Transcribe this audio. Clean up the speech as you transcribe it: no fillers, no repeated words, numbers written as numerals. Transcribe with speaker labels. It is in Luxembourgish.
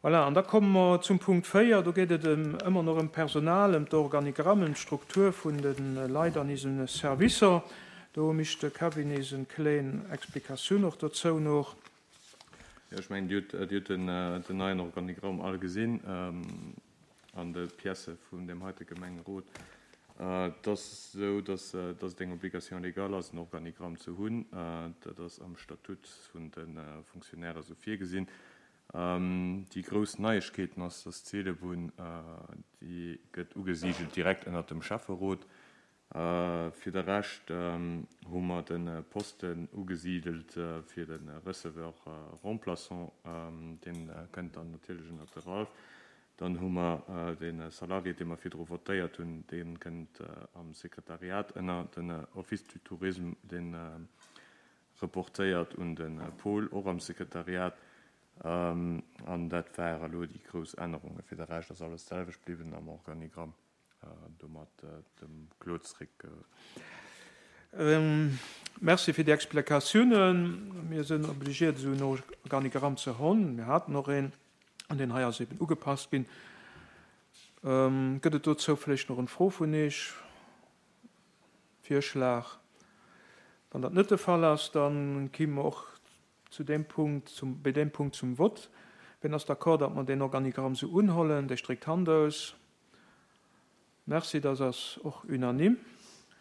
Speaker 1: Voilà, an da komme mer zum Punkt 4. Do geet et ëmmer nach ëm d'Personal, ëm d'Organigramm, ëm d'Struktur vun de Leit an ise Servicer. Do mécht de Kevin eis en kleen Explikatioun och dozou noch.
Speaker 2: Jo, ech mengen, Dir hutt den neien Organigramm all gesinn an de Piècë vun deem heite Gemengerot. Et ass esou, dass et eng Obligation légale ass, en Organigramm ze hunn. Dat ass am Statut vun de Fonctionnaires esou virgesinn. Déi grouss Neiegkeeten ass, dass d'Seelebunn, déi gëtt ugesigelt direkt ënnert dem Schäfferot. Fir de Rescht hu mer de Posten ugesidelt fir de Receveur remplaçant, dee kënnt dann natierlech ënnert de Ralph. Dann hu mer de Salarié, dee mer virdru votéiert hunn, dee kënnt am Sekretariat ënner den Office du Tourisme, dee Reportéiert un de Paul, och am Sekretariat. An dat ware elo déi grouss Ännerungen. Fir de Rescht ass alles d'selwecht bliwwen am Organigramm. Domat dem Claude zréck.
Speaker 1: Merci fir déi Explikatiounen. Mir sinn obligiert esou en Organigramm ze hunn. Mir haten och een, an deen hei ass eben ugepasst ginn. Gëtt et dozou vläicht nach en Fro vun Iech? Virschlag. Wann dat net de Fall ass, da kimme mer och zu deem Punkt, zum, bei deem Punkt zum Vott. Wien ass d'accord, datt mer deen Organigramm esou unhollen? Dee stréckt d'Hand aus. Merci, dass ass och unanime.